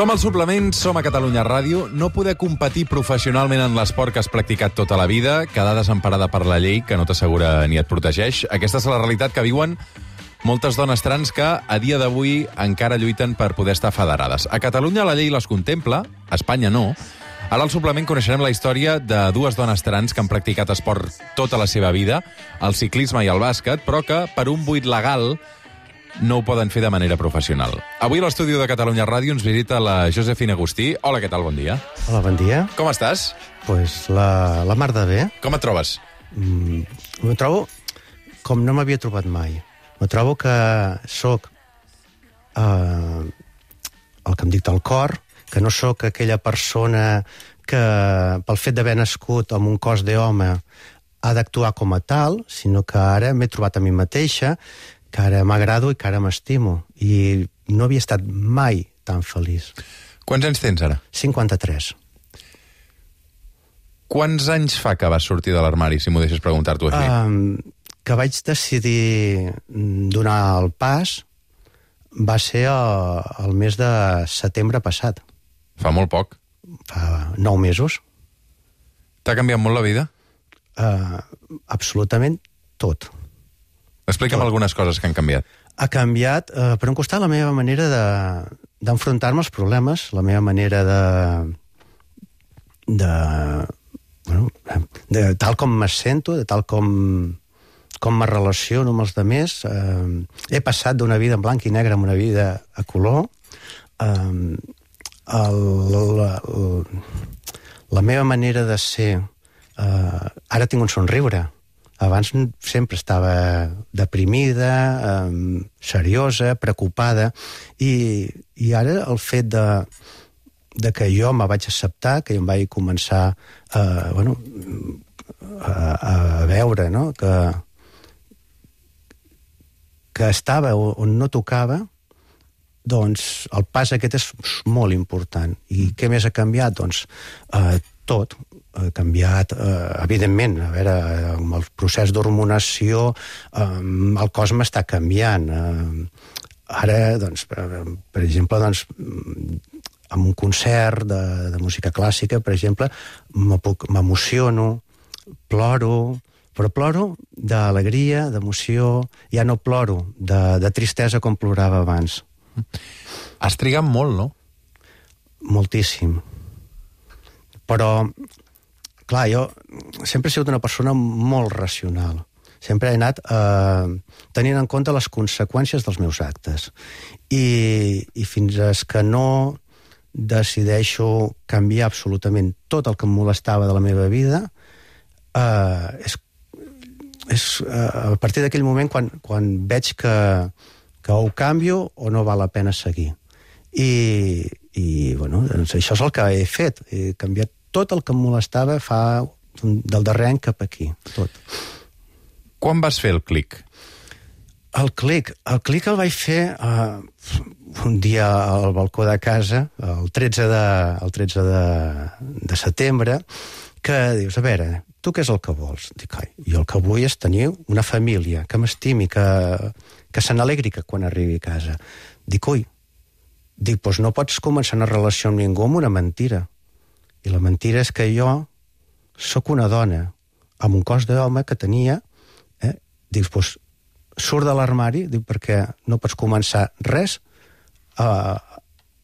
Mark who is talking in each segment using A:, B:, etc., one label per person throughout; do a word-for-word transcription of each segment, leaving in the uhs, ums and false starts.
A: Som al Suplement, som a Catalunya Ràdio. No poder competir professionalment en l'esport que has practicat tota la vida, quedar desemparada per la llei, que no t'assegura ni et protegeix. Aquesta és la realitat que viuen moltes dones trans que a dia d'avui encara lluiten per poder estar federades. A Catalunya la llei les contempla, a Espanya no. Ara al Suplement coneixerem la història de dues dones trans que han practicat esport tota la seva vida, el ciclisme i el bàsquet, però que per un buit legal no ho poden fer de manera professional. Avui a l'estudi de Catalunya Ràdio ens visita la Josefina Agustí. Hola, què tal? Bon dia.
B: Hola, bon dia.
A: Com estàs?
B: Pues la, la mar de bé.
A: Com et trobes?
B: Mm, me trobo com no m'havia trobat mai. Me trobo que sóc eh, el que em dicta el cor, que no sóc aquella persona que pel fet d'haver nascut amb un cos d'home ha d'actuar com a tal, sinó que ara m'he trobat a mi mateixa, que ara m'agrado i que ara m'estimo. I no havia estat mai tan feliç.
A: Quants anys tens ara?
B: cinquanta-tres.
A: Quants anys fa que vas sortir de l'armari, si m'ho deixes preguntar-t'ho així?
B: Um, que vaig decidir donar el pas va ser el, el mes de setembre passat.
A: Fa molt poc.
B: Fa nou mesos.
A: T'ha canviat molt la vida?
B: Uh, absolutament tot.
A: Explica'm tot. Algunes coses que han canviat.
B: Ha canviat, uh, per un costat, la meva manera de, d'enfrontar-me als problemes, la meva manera de... de, bueno, de tal com me sento, de tal com, com me relaciono amb els altres. Uh, he passat d'una vida en blanc i negre a una vida a color. Uh, el, la, la meva manera de ser... Uh, ara tinc un somriure. Abans sempre estava deprimida, um, seriosa, preocupada, i, i ara el fet de, de que jo me vaig acceptar, que jo em vaig començar uh, bueno, a, a veure, no? que, que estava on no tocava, doncs el pas aquest és molt important. I què més ha canviat? Doncs uh, tot. Ha canviat, eh, evidentment, a veure, amb el procés d'hormonació eh, el cos m'està canviant. Eh, ara, doncs, per, per exemple, doncs, en un concert de, de música clàssica, per exemple, m'emociono, ploro, però ploro d'alegria, d'emoció, ja no ploro de, de tristesa com plorava abans.
A: Has trigat molt, no?
B: Moltíssim. Però... Clar, jo sempre he sigut una persona molt racional. Sempre he anat eh, tenint en compte les conseqüències dels meus actes. I, i fins que no decideixo canviar absolutament tot el que em molestava de la meva vida, eh, és, és eh, a partir d'aquell moment quan, quan veig que, que ho canvio o no val la pena seguir. I, i bueno, doncs això és el que he fet. He canviat tot el que em molestava fa del darrer any cap aquí, tot.
A: Quan vas fer el clic?
B: El clic, el clic el vaig fer uh, un dia al balcó de casa, el tretze de, el tretze de, de setembre, que dius, a veure, tu què és el que vols? Dic, ai, jo el que vull és tenir una família que m'estimi, que, que se n'alegri que quan arribi a casa. Dic, ui, dic, doncs no pots començar una relació amb ningú amb una mentira. I la mentira és que jo sóc una dona amb un cos d'home que tenia, eh? Dius, doncs, surt de l'armari, dic, perquè no pots començar res eh,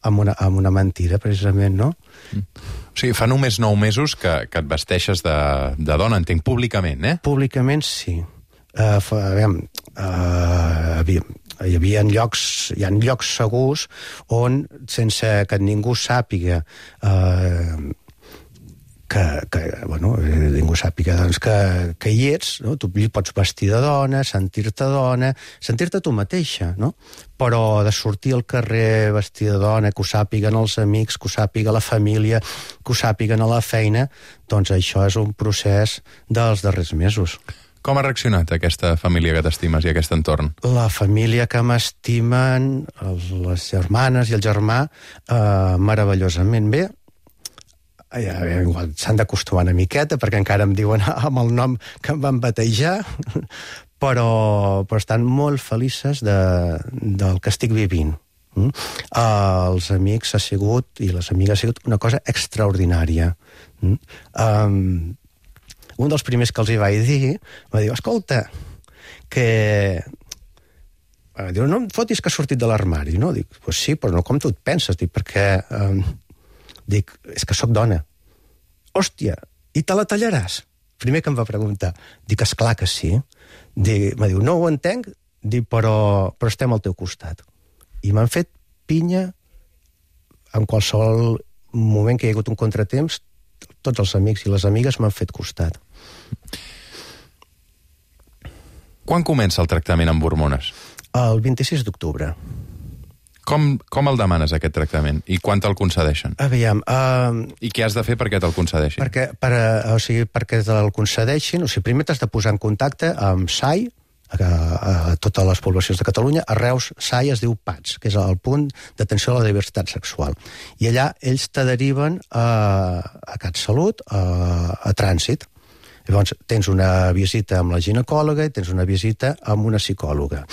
B: amb, una, amb una mentira, precisament, no?
A: Mm. O sigui, fa només nou mesos que, que et vesteixes de, de dona, entenc, públicament, eh?
B: Públicament, sí. Uh, fa, aviam, uh, havia, hi havia llocs, hi ha llocs segurs on, sense que ningú sàpiga eh, que, que bueno, ningú sàpiga doncs, que, que hi ets, no? Tu pots vestir de dona, sentir-te dona, sentir-te tu mateixa, no? Però de sortir al carrer vestir de dona, que ho sàpiguen els amics, que ho sàpiga la família, que ho sàpiguen a la feina, doncs això és un procés dels darrers mesos.
A: Com ha reaccionat aquesta família que t'estimes i aquest entorn?
B: La família que m'estimen, les germanes i el germà, eh, meravellosament bé. Ja, igual s'han d'acostumar una miqueta, perquè encara em diuen amb el nom que em van batejar, però, però estan molt felices de, del que estic vivint. Mm? Uh, els amics ha sigut, i les amigues ha sigut una cosa extraordinària. Mm? Um, un dels primers que els hi vaig dir va dir, escolta, que... Uh, diu, no em fotis que has sortit de l'armari, no? Dic, pues sí, però no com tu et penses, dic, perquè... Um, dic, és que sóc dona. Hòstia, i te la tallaràs? Primer que em va preguntar. Dic, esclar que sí. Dic, me diu, no ho entenc, dic, però, però estem al teu costat. I m'han fet pinya en qualsevol moment que hi ha hagut un contratemps, tots els amics i les amigues m'han fet costat.
A: Quan comença el tractament amb hormones?
B: El vint-i-sis d'octubre.
A: Com, com el demanes, aquest tractament? I quan te'l concedeixen?
B: Aviam... Uh,
A: I què has de fer perquè te'l concedeixin?
B: Perquè, per, o sigui, perquè te'l concedeixin, o sigui, primer t'has de posar en contacte amb S A I, a, a totes les poblacions de Catalunya. A Reus, S A I es diu P A T S, que és el punt d'atenció a la diversitat sexual. I allà ells te deriven a, a CatSalut, a, a Trànsit. Llavors, tens una visita amb la ginecòloga i tens una visita amb una psicòloga.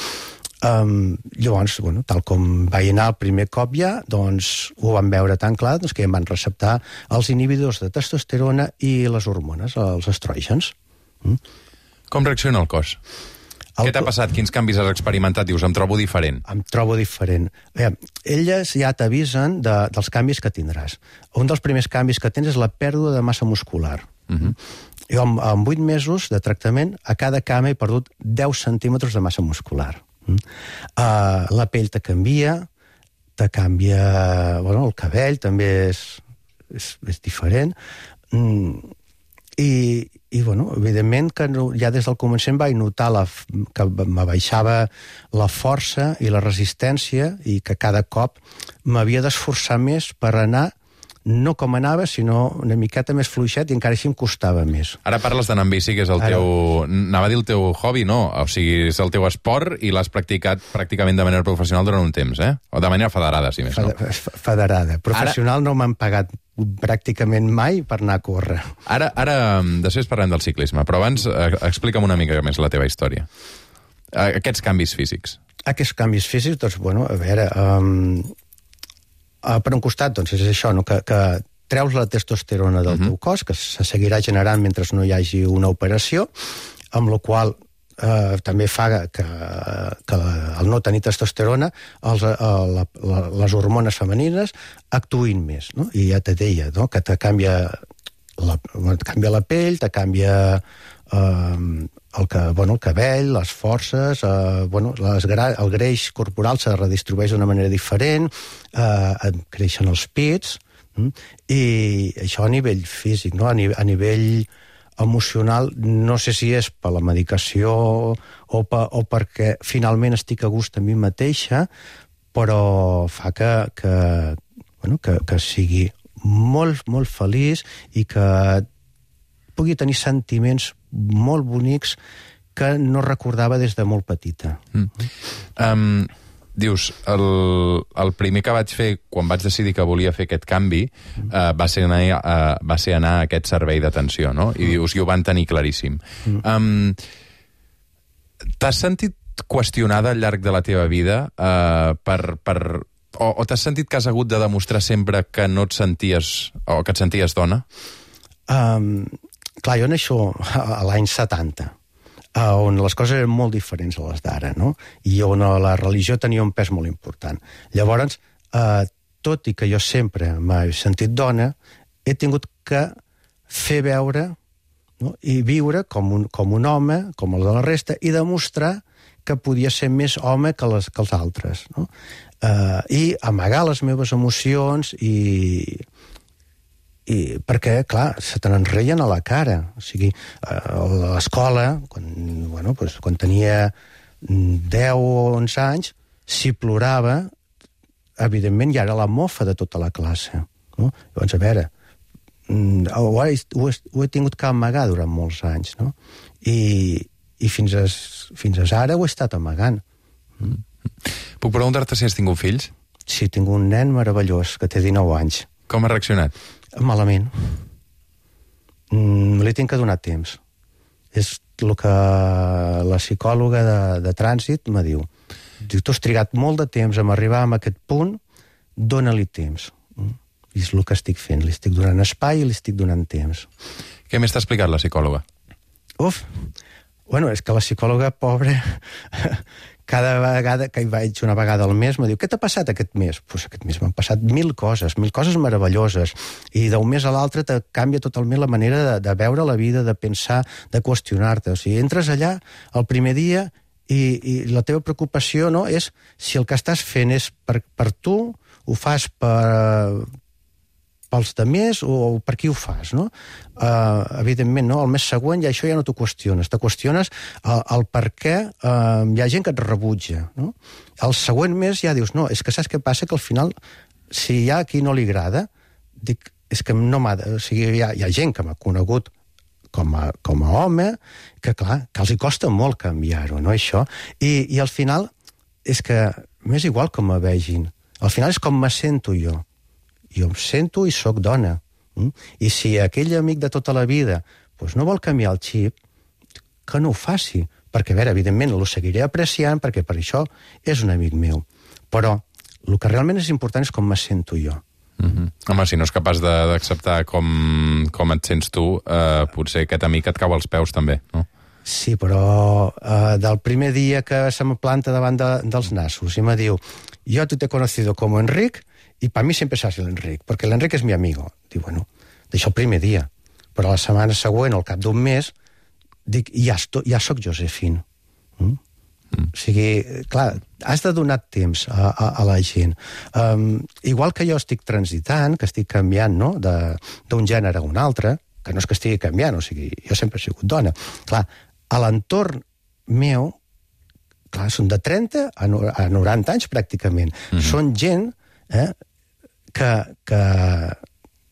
B: Um, llavors, bueno, tal com vaig anar el primer cop ja, doncs ho van veure tan clar doncs, que em van receptar els inhibidors de testosterona i les hormones, els estrògens. Mm?
A: Com reacciona el cos? El... Què t'ha passat? Quins canvis has experimentat? Dius, em trobo diferent.
B: Em trobo diferent. Bé, elles ja t'avisen de, dels canvis que tindràs. Un dels primers canvis que tens és la pèrdua de massa muscular. Uh-huh. Jo, en, en vuit mesos de tractament, a cada cama he perdut deu centímetres de massa muscular. Uh, la pell te canvia, te canvia... Bueno, el cabell també és, és, és diferent. Mm, i, i, bueno, evidentment que no, ja des del començament vaig notar la, que me baixava la força i la resistència i que cada cop m'havia d'esforçar més per anar no com anava, sinó una miqueta més fluixet i encara així em costava més.
A: Ara parles d'anar amb bici, que és el Ara... teu... Anava a dir el teu hobby, no. O sigui, és el teu esport i l'has practicat pràcticament de manera professional durant un temps, eh? O de manera federada, si més no.
B: Federada. Professional Ara... no m'han pagat pràcticament mai per anar a córrer.
A: Ara, ara després parlem del ciclisme, però abans eh, explica'm una mica més la teva història. Aquests canvis físics.
B: Aquests canvis físics, doncs, bueno, a veure... Um... Uh, per un costat, doncs, és això, no? que, que treus la testosterona del uh-huh. teu cos, que se seguirà generant mentre no hi hagi una operació, amb la qual eh, també fa que, que al no tenir testosterona els, la, la, les hormones femenines actuïn més, no? I ja te deia, no? Que te canvia la, te canvia la pell, te canvia eh, el, que, bueno, el cabell, les forces, eh, bueno, les gra el greix corporal se redistribueix d'una manera diferent, eh, creixen els pits, mm? I això a nivell físic, no? A, ni a nivell emocional, no sé si és per la medicació o, per, o perquè finalment estic a gust a mi mateixa, però fa que, que, bueno, que, que sigui molt, molt feliç i que pugui tenir sentiments molt bonics que no recordava des de molt petita.
A: Mm. Um, dius, el, el primer que vaig fer quan vaig decidir que volia fer aquest canvi mm. uh, va, ser anar, uh, va ser anar a aquest servei d'atenció, no? I dius, i ho van tenir claríssim. Mm. Um, t'has sentit qüestionada al llarg de la teva vida uh, per... per o, o t'has sentit que has hagut de demostrar sempre que no et senties o que et senties dona?
B: Um, clar, jo neixo a l'any setanta, on les coses eren molt diferents a les d'ara, no? I on la religió tenia un pes molt important. Llavors, eh, tot i que jo sempre m'he sentit dona, he tingut que fer veure, no? I viure com un, com un home, com el de la resta, i demostrar que podia ser més home que, les, que els altres, no? Eh, I amagar les meves emocions i... I perquè, clar, se te n'enreien a la cara. O sigui, a l'escola, quan, bueno, pues, quan tenia deu o onze anys, si plorava, evidentment ja era la mofa de tota la classe. No? Llavors, a veure, ho he, ho, he, ho he tingut que amagar durant molts anys, no? I, i fins, a, fins a ara ho he estat amagant.
A: Mm. Puc preguntar-te si has tingut fills?
B: Sí, tinc un nen meravellós, que té dinou anys.
A: Com ha reaccionat?
B: Malament. Mm, li tinc que donar temps. És el que la psicòloga de, de trànsit me diu. diu, tu has trigat molt de temps en arribar a aquest punt, dóna-li temps. I és el que estic fent, li estic donant espai i li estic donant temps.
A: Què més t'ha explicat la psicòloga?
B: Uf, bueno, és que la psicòloga, pobra, cada vegada que hi vaig una vegada al mes, me diu, què t'ha passat aquest mes? Doncs pues aquest mes m'han passat mil coses, mil coses meravelloses, i d'un mes a l'altre te canvia totalment la manera de, de veure la vida, de pensar, de qüestionar-te. O sigui, entres allà el primer dia i, i la teva preocupació, no, és si el que estàs fent és per, per tu, ho fas per... pels demés o, o per qui ho fas, no? Uh, evidentment, no? El mes següent ja això ja no t'ho qüestiones. Te qüestiones el, el per què uh, hi ha gent que et rebutja, no? El següent mes ja dius, no, és que saps què passa? Que al final, si hi ha a qui no li agrada, dic, és que no m'ha... O sigui, hi ha, hi ha gent que m'ha conegut com a, com a home, que clar, que els hi costa molt canviar-ho, no, això? I, i al final és que m'és igual com me vegin. Al final és com me sento jo. Jo em sento i sóc dona. Mm? I si aquell amic de tota la vida pues, no vol canviar el xip, que no ho faci. Perquè, a veure, evidentment, el seguiré apreciant, perquè per això és un amic meu. Però el que realment és important és com me sento jo.
A: Mm-hmm. Home, si no és capaç d'acceptar com, com et sents tu, eh, potser aquest amic et cau als peus també, no?
B: Sí, però eh, del primer dia que se me planta davant de, dels nassos i me diu, jo tu t'he conocido como Enric i per mi sempre seràs l'Enric, perquè l'Enric és mi amigo. Diu, bueno, d'això el primer dia. Però la setmana següent, al cap d'un mes, dic, ja, esto, ja soc Josefine. Mm? Mm. O sigui, clar, has de donar temps a, a, a la gent. Um, igual que jo estic transitant, que estic canviant, no?, d'un gènere a un altre, que no és que estigui canviant, o sigui, jo sempre he sigut dona. Clar, a l'entorn meu, clar, són de trenta a noranta anys, pràcticament. Mm-hmm. Són gent eh, que, que,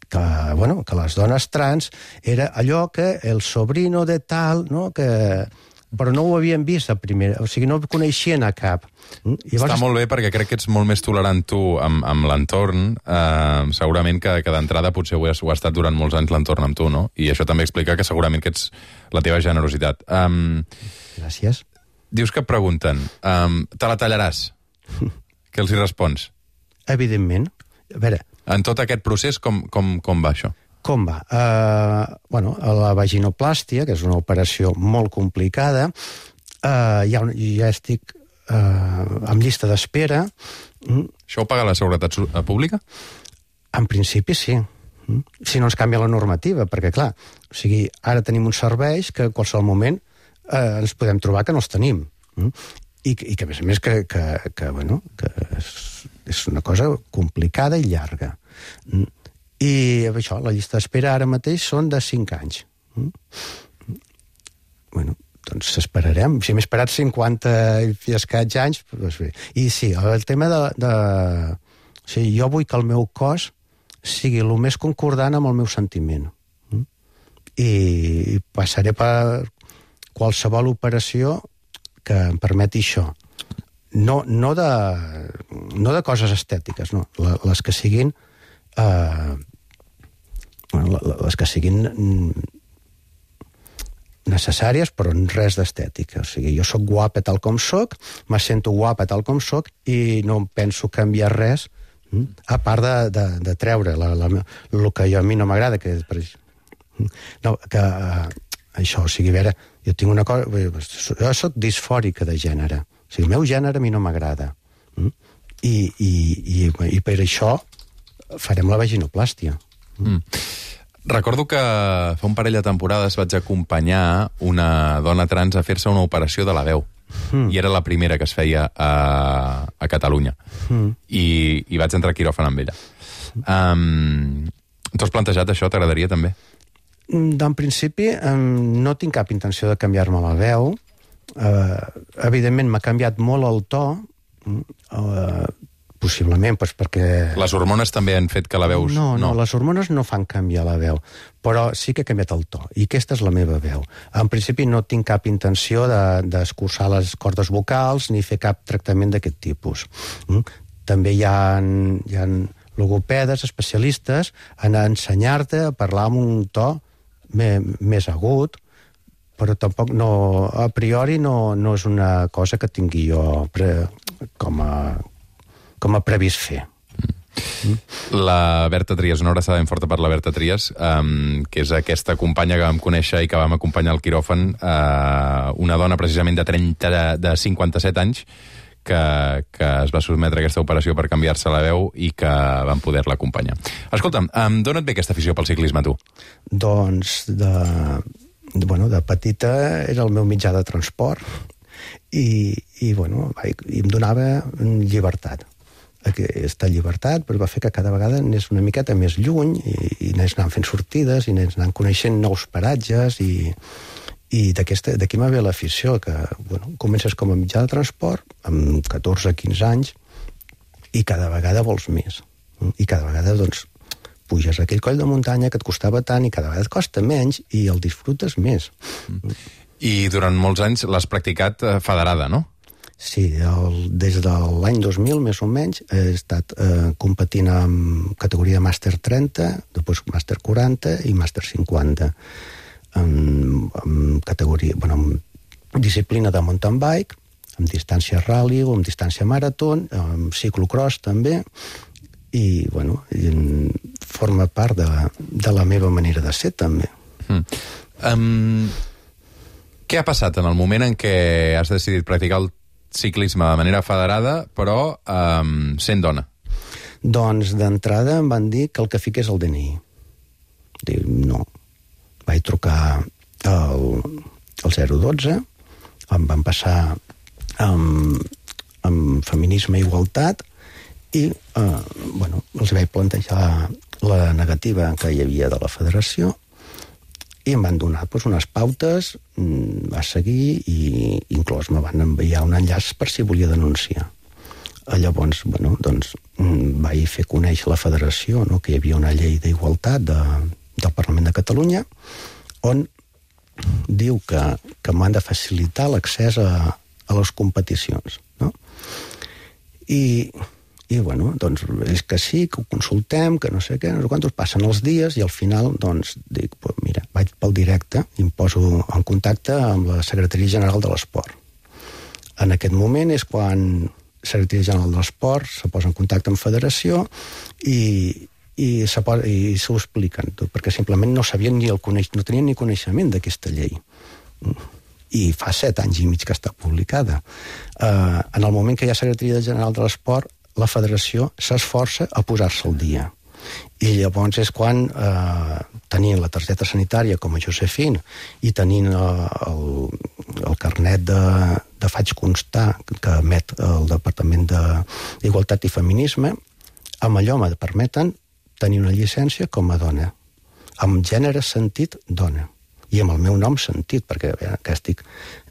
B: que, bueno, que les dones trans era allò que el sobrino de tal, no?, que... però no ho havien vist a primera, o sigui, no coneixien a cap.
A: Llavors... Està molt bé, perquè crec que ets molt més tolerant tu amb, amb l'entorn, eh, segurament que, que d'entrada potser ho has, ho has estat durant molts anys l'entorn amb tu, no? I això també explica que segurament que ets la teva generositat. Um,
B: Gràcies.
A: Dius que et pregunten, um, te la tallaràs? Què els hi respons?
B: Evidentment. A veure...
A: En tot aquest procés, com, com, com va això?
B: Com va? Uh, bueno, la vaginoplàstia, que és una operació molt complicada, uh, ja, ja estic uh, en llista d'espera. Mm.
A: Això ho paga la Seguretat Pública?
B: En principi sí. Mm. Si no ens canvia la normativa, perquè clar, o sigui, ara tenim uns serveis que en qualsevol moment uh, ens podem trobar que no els tenim. Mm. I, I que, a més a més, que, que, que, bueno, que és, és una cosa complicada i llarga. Mm. I això, la llista d'espera ara mateix són de cinc anys. Mm? Bueno, doncs esperarem. Si hem esperat cinquanta i escaig anys, doncs bé. I sí, el tema de... de... O sigui, jo vull que el meu cos sigui el més concordant amb el meu sentiment. Mm? I passaré per qualsevol operació que em permeti això. No, no, de, no de coses estètiques, no. Les que siguin... Eh, bueno, les que siguin necessàries, però res d'estètica. O sigui, jo sóc guapa tal com sóc, me sento guapa tal com sóc i no penso canviar res, a part de, de, de treure la, la, el que jo, a mi no m'agrada, que, no, que uh, això, o sigui, a veure, jo tinc una cosa... Jo sóc disfòrica de gènere. O sigui, el meu gènere a mi no m'agrada. I, i, i, i per això farem la vaginoplàstia.
A: Mm. Recordo que fa un parell de temporades vaig acompanyar una dona trans a fer-se una operació de la veu. Mm. I era la primera que es feia a, a Catalunya. Mm. I, I vaig entrar a quiròfan amb ella. Um, T'ho has plantejat, això? T'agradaria, també?
B: En principi, um, no tinc cap intenció de canviar-me la veu. Uh, evidentment, m'ha canviat molt el to. Uh, possiblement, doncs perquè...
A: Les hormones també han fet que la veus...
B: No, no, no, les hormones no fan canviar la veu, però sí que ha canviat el to, i aquesta és la meva veu. En principi no tinc cap intenció d'escurçar de, les cordes vocals ni fer cap tractament d'aquest tipus. Mm? També hi ha, hi ha logopedes, especialistes, en ensenyar-te a parlar amb un to me, més agut, però tampoc no, a priori no, no és una cosa que tingui jo pre, com a, com a previst fer.
A: Mm. La Berta Trias, una abraçada ben forta per la Berta Trias, um, que és aquesta companya que vam conèixer i que vam acompanyar al quiròfan, uh, una dona precisament de, trenta, de cinquanta-set anys, que, que es va sotmetre a aquesta operació per canviar-se la veu i que van poder-la acompanyar. Escolta'm, um, d'on et ve aquesta afició pel ciclisme, tu?
B: Doncs, de, de, bueno, de petita era el meu mitjà de transport i, i, bueno, i em donava llibertat. Aquesta llibertat va fer que cada vegada anés una miqueta més lluny i, i anés anant fent sortides i anés anant coneixent nous paratges i, i d'aquí m'ha ve l'afició, que bueno, comences com a mitjà de transport amb catorze a quinze anys i cada vegada vols més. I cada vegada doncs, puges a aquell coll de muntanya que et costava tant i cada vegada et costa menys i el disfrutes més.
A: I durant molts anys l'has practicat federada, no?
B: Sí, el, des de l'any dos mil, més o menys, he estat eh, competint en categoria màster trenta, després màster quaranta i màster cinquanta. En, en categoria, bueno, en disciplina de mountain bike, en distància rally o en distància marató, en ciclocross també, i, bueno, i en, forma part de, de la meva manera de ser, també.
A: Mm. Um, què ha passat en el moment en què has decidit practicar el ciclisme de manera federada, però um, sent dona?
B: Doncs d'entrada em van dir que el que fiqués el D N I. Dic, no. Vaig trucar al, al zero dotze, em van passar amb, amb feminisme i igualtat i eh, bueno, els vaig plantejar la negativa que hi havia de la federació i em van donar doncs, unes pautes a seguir i inclús me van enviar un enllaç per si volia denunciar. Llavors, bueno, doncs, vaig fer conèixer la federació, no?, que hi havia una llei d'igualtat de, del Parlament de Catalunya on diu que, que m'han de facilitar l'accés a, a les competicions, no? I... I, bueno, doncs, és que sí, que ho consultem, que no sé què, no sé quantos, passen els dies i al final, doncs, dic, pues mira, vaig pel directe i em poso en contacte amb la Secretaria General de l'Esport. En aquest moment és quan la Secretaria General de l'Esport se posa en contacte amb Federació i, i s'ho expliquen tot, perquè simplement no sabien ni el coneix, no tenien ni coneixement d'aquesta llei. I fa set anys i mig que està publicada. Uh, en el moment que hi ha Secretaria General de l'Esport, la federació s'esforça a posar-se al dia. I llavors és quan, eh, tenint la targeta sanitària com a Josefín i tenint eh, el, el carnet de, de faig constar que emet el Departament d'Igualtat i Feminisme, amb allò me permeten tenir una llicència com a dona, amb gènere sentit dona, i amb el meu nom sentit, perquè eh, que estic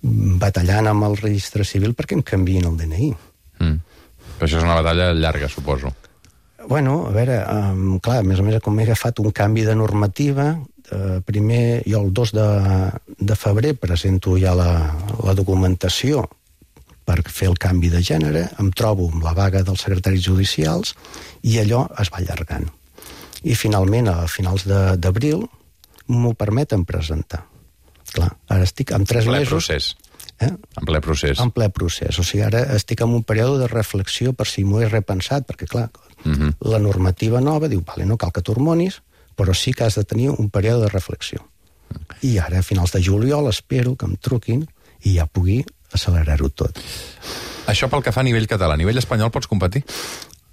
B: batallant amb el registre civil perquè em canviïn el D N I.
A: Mm. Però això és una batalla llarga, suposo.
B: Bueno, a veure, um, clar, a més a més, com he agafat un canvi de normativa, eh, primer, jo el dos de febrer presento ja la, la documentació per fer el canvi de gènere, em trobo amb la vaga dels secretaris judicials i allò es va allargant. I finalment, a finals d'abril, m'ho permeten presentar. Clar, ara estic amb tres
A: ple
B: mesos...
A: Procés.
B: Eh?
A: En ple procés.
B: En ple procés. O sigui, ara estic en un període de reflexió per si m'ho he repensat, perquè, clar, uh-huh. la normativa nova diu, vale, no cal que t'hormonis, però sí que has de tenir un període de reflexió. Uh-huh. I ara, a finals de juliol, espero que em truquin i ja pugui accelerar-ho tot.
A: Això pel que fa a nivell català. A nivell espanyol pots competir?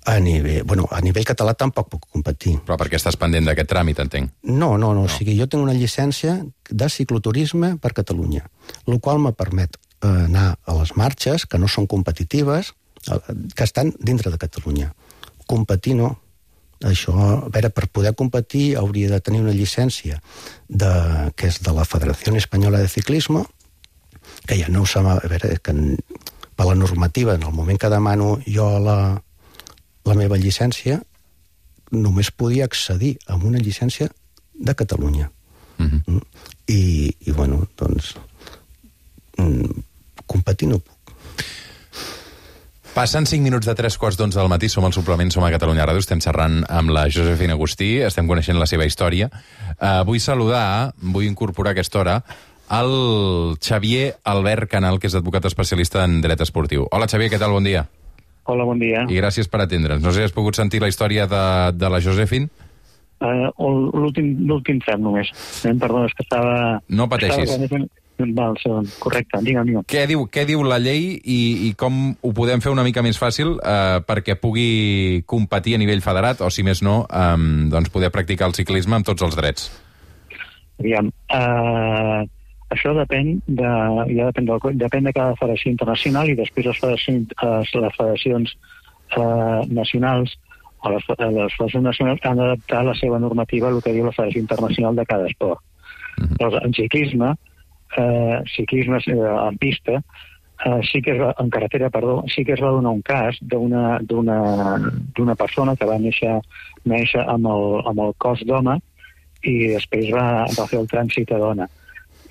B: A nivell, bueno, a nivell català tampoc puc competir.
A: Però perquè estàs pendent d'aquest tràmit, entenc.
B: No, no, no, no. O sigui, jo tinc una llicència de cicloturisme per Catalunya, el qual me permet eh, anar a les marxes, que no són competitives, eh, que estan dintre de Catalunya. Competir no. Això, a veure, per poder competir hauria de tenir una llicència de, que és de la Federació Espanyola de Ciclisme, que ja no ho sap, a veure, que per la normativa, en el moment que demano jo la la meva llicència, només podia accedir a una llicència de Catalunya. Uh-huh. I, i, bueno, doncs, competir no puc.
A: Passen cinc minuts de tres quarts d'onze del matí, som al suplement, som a Catalunya Ràdio, estem xerrant amb la Josefina Agustí, estem coneixent la seva història. Uh, vull saludar, vull incorporar a aquesta hora, el Xavier Albert Canal, que és advocat especialista en dret esportiu. Hola, Xavier, què tal? Bon dia.
C: Hola, bon dia.
A: I gràcies per atendre'ns. No sé si has pogut sentir la història de, de la Josephine?
C: Uh, L'últim tram només. Eh, perdona, és que estava...
A: No pateixis.
C: Estava... Val, segon. Correcte, digue'm, digue'm.
A: Què diu, què diu la llei i, i com ho podem fer una mica més fàcil eh, perquè pugui competir a nivell federat o, si més no, eh, doncs poder practicar el ciclisme amb tots els drets?
C: Aviam, uh, això depèn de, ja depèn, del, depèn de cada federació internacional i després les federacions, uh, les federacions uh, nacionals o les, les federacions nacionals han d'adaptar la seva normativa a el que diu la Federació Internacional de cada esport. Uh-huh. Llavors, en ciclisme, Uh, ciclisme uh, en pista, uh, sí que es va, en carretera, perdó, sí que es va donar un cas d'una d'una persona que va néixer, néixer amb, el, amb el cos d'home i després va, va fer el trànsit a dona.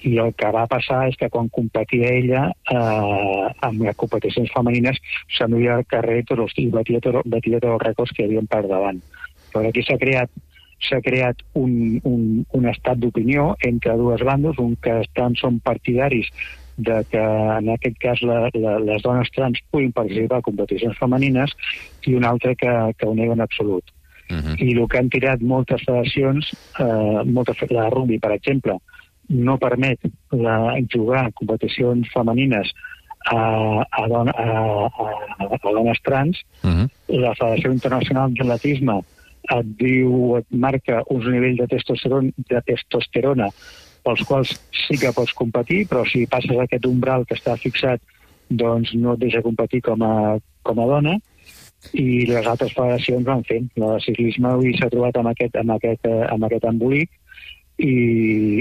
C: I el que va passar és que quan competia ella uh, amb les competicions femenines s'anuia al carrer i batia, batia tots els rècords que hi havia per davant. Però aquí s'ha creat s'ha creat un, un, un estat d'opinió entre dues bandes, un que estan, són partidaris de que en aquest cas la, la, les dones trans puguin participar a competicions femenines i un altre que, que ho nega en absolut. Uh-huh. I el que han tirat moltes federacions, eh, moltes, la rugby, per exemple, no permet la, jugar en competicions femenines a, a, dona, a, a, a dones trans. Uh-huh. La Federació Internacional d'Atletisme et diu, et marca uns nivells de testosterona, de testosterona pels quals sí que pots competir, però si passes aquest umbral que està fixat, doncs no et deixa competir com a, com a dona, i les altres federacions van fent. La de ciclisme avui s'ha trobat amb aquest, amb aquest, amb aquest embolic i,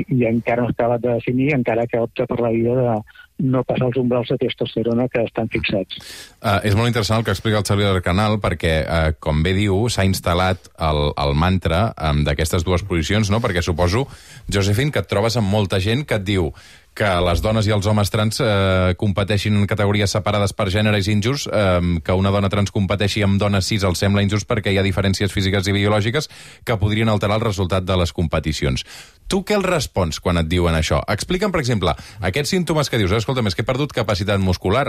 C: i encara no s'ha acabat de definir, encara que opta per la vida de no passar els umbrals de testosterona que estan fixats.
A: Uh, és molt interessant el que explica el Xavier del Canal perquè, uh, com bé diu, s'ha instal·lat el, el mantra um, d'aquestes dues posicions, no? Perquè suposo, Josephine, que et trobes amb molta gent que et diu que les dones i els homes trans eh, competeixin en categories separades per gènere és injust, eh, que una dona trans competeixi amb dones cis els sembla injust perquè hi ha diferències físiques i biològiques que podrien alterar el resultat de les competicions. Tu què els respons quan et diuen això? Explica'm, per exemple, aquests símptomes que dius, eh, escolta, és que he perdut capacitat muscular.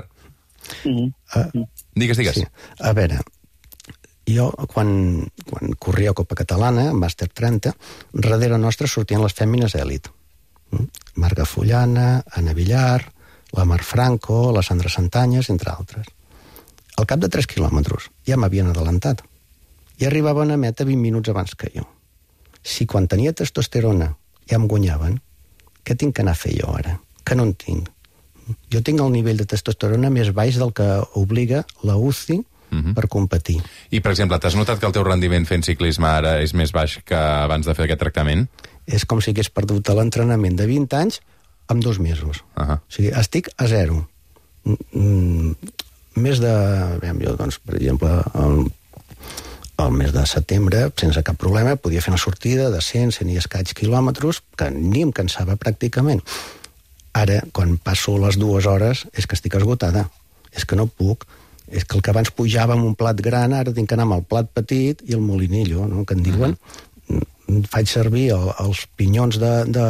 C: Mm.
B: Uh,
A: digues, digues.
B: Sí. A veure, jo, quan, quan corria a Copa Catalana, en Màster trenta, darrere nostre sortien les fèmines èlit. Marga Fullana, Anna Villar, la Mar Franco, la Sandra Santanyes, entre altres. Al cap de tres quilòmetres ja m'havien adelantat i arribaven a meta vint minuts abans que jo. Si quan tenia testosterona ja em guanyaven, què tinc que anar a fer jo ara? Que no en tinc. Jo tinc el nivell de testosterona més baix del que obliga la U C I uh-huh. per competir.
A: I, per exemple, t'has notat que el teu rendiment fent ciclisme ara és més baix que abans de fer aquest tractament?
B: És com si hagués perdut l'entrenament de vint anys en dos mesos. Uh-huh. O sigui, estic a zero. Mm, més de... Veiem, jo, doncs, per exemple, el, el mes de setembre, sense cap problema, podia fer una sortida de cent, cent i escaig quilòmetres, que ni em cansava pràcticament. Ara, quan passo les dues hores, és que estic esgotada. És que no puc. És que el que abans pujava amb un plat gran, ara tinc que anar amb el plat petit i el molinillo, no?, que en diuen. Uh-huh. Faig servir el, els pinyons de, de,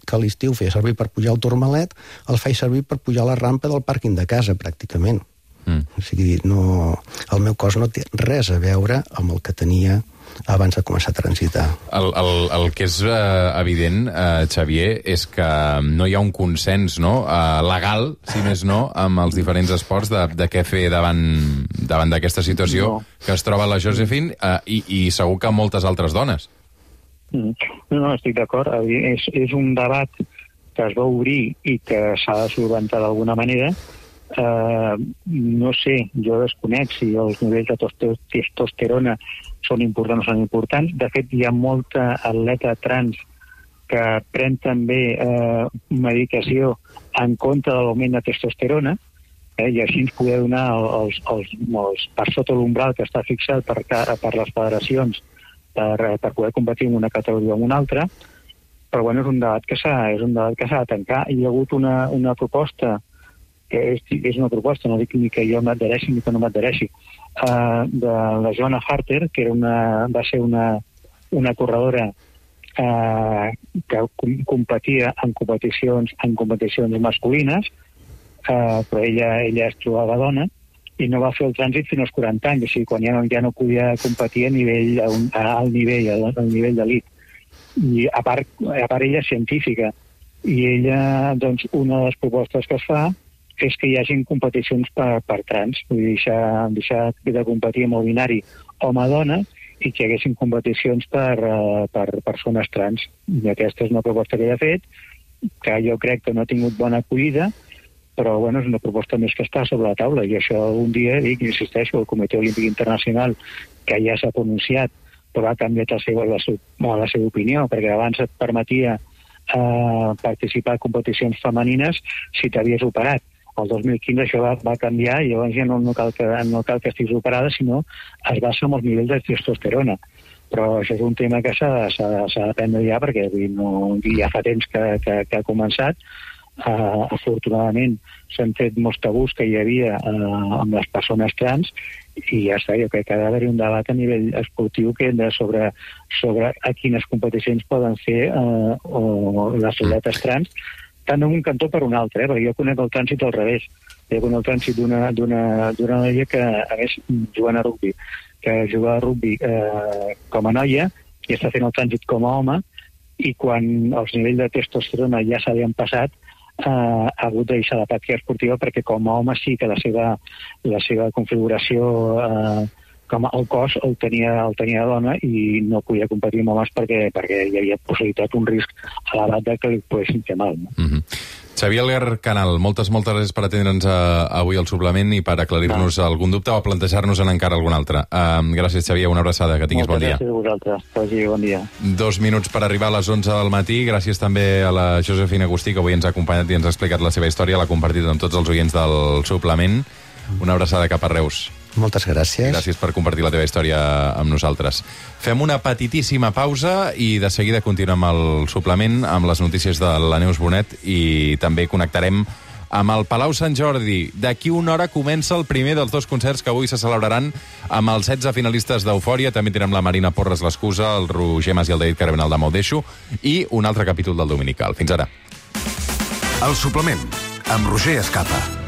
B: que a l'estiu feia servir per pujar al Tourmalet, els faig servir per pujar la rampa del pàrquing de casa, pràcticament. Mm. O sigui, no, el meu cos no té res a veure amb el que tenia abans de començar a transitar.
A: El, el, el que és eh, evident, eh, Xavier, és que no hi ha un consens, no?, eh, legal, si més no, amb els diferents esports de, de què fer davant, davant d'aquesta situació no. que es troba la Josephine eh, i, i segur que moltes altres dones.
C: No, no, estic d'acord. És, és un debat que es va obrir i que s'ha de solventar d'alguna manera. Uh, no sé, jo desconec si els nivells de testosterona són importants o són importants. De fet, hi ha molta atleta trans que pren també uh, medicació en contra de l'augment de testosterona, eh, i així ens poder donar els, els, els, per sota l'umbral que està fixat per, per les federacions Per, per poder competir en una categoria o en una altra, però bueno, és un debat que s'ha és un debat que s'ha de tancar. Hi ha hagut una, una proposta, que és, és una proposta, no dic ni que jo m'adhereixi ni que no m'adhereixi, uh, de la Joanna Harter, que era una, va ser una, una corredora uh, que competia en competicions, en competicions masculines, uh, però ella, ella es trobava dona, i no va fer el trànsit fins als quaranta anys, o sigui, quan ja no, ja no podia competir a nivell, a un, a alt nivell, al, al nivell d'elit. I a part, a part ella és científica, i ella, doncs, una de les propostes que es fa és que hi hagin competicions per, per trans, vull dir, deixar, deixar de competir amb el binari home-dona i que hi haguessin competicions per, uh, per persones trans. I aquesta és una proposta que ella ha fet, que jo crec que no ha tingut bona acollida, però bueno, és una proposta més que està sobre la taula, i això un dia, dic, insisteixo, el Comitè Olímpic Internacional, que ja s'ha pronunciat, però ha canviat la seva, la, seva, la seva opinió, perquè abans et permetia eh, participar en competicions femenines si t'havies operat. El dos mil quinze això va, va canviar, i llavors ja no, no, cal que, no cal que estiguis operada, sinó es basa en els nivells de testosterona. Però això és un tema que s'ha d'aprendre ja, perquè vull, no, ja fa temps que, que, que ha començat. Uh, afortunadament s'han fet molts tabús que hi havia uh, amb les persones trans, i ja està, jo crec que ha d'haver-hi un debat a nivell esportiu que de sobre, sobre a quines competicions poden fer uh, o les atletes trans, tant en un cantó per un altre, eh? Perquè jo conec el trànsit al revés. Jo conec el trànsit d'una noia que, a més, jugant a rugby, que juga a rugby eh, com a noia i està fent el trànsit com a home, i quan els nivells de testosterona ja s'havien passat, eh, ha hagut de deixar la pràctica esportiva, perquè com a home sí que la seva, la seva configuració eh, com el cos el tenia, el tenia dona, i no podia competir amb homes perquè, perquè hi havia possibilitat, un risc elevat de que li poguessin fer mal. No?
A: Mm-hmm. Xavier Algar Canal, moltes, moltes gràcies per atendre'ns avui al suplement i per aclarir-nos ah. algun dubte o plantejar-nos-en encara algun altre. Uh, gràcies, Xavier, una abraçada, que tinguis
C: Moltes
A: bon dia.
C: Gràcies a vosaltres, Pagi, bon dia.
A: Dos minuts per arribar a les onze del matí. Gràcies també a la Josefina Agustí, que avui ens ha acompanyat i ens ha explicat la seva història, l'ha compartit amb tots els oients del suplement. Una abraçada cap a Reus.
B: Moltes gràcies.
A: Gràcies per compartir la teva història amb nosaltres. Fem una petitíssima pausa i de seguida continuem amb el suplement, amb les notícies de la Neus Bonet, i també connectarem amb el Palau Sant Jordi. D'aquí una hora comença el primer dels dos concerts que avui se celebraran amb els setze finalistes d'Eufòria. També tindrem la Marina Porres l'Excusa, el Roger Mas i el David Carabenal de M'ho i un altre capítol del Dominical. Fins ara.
D: El suplement, amb Roger Escapa.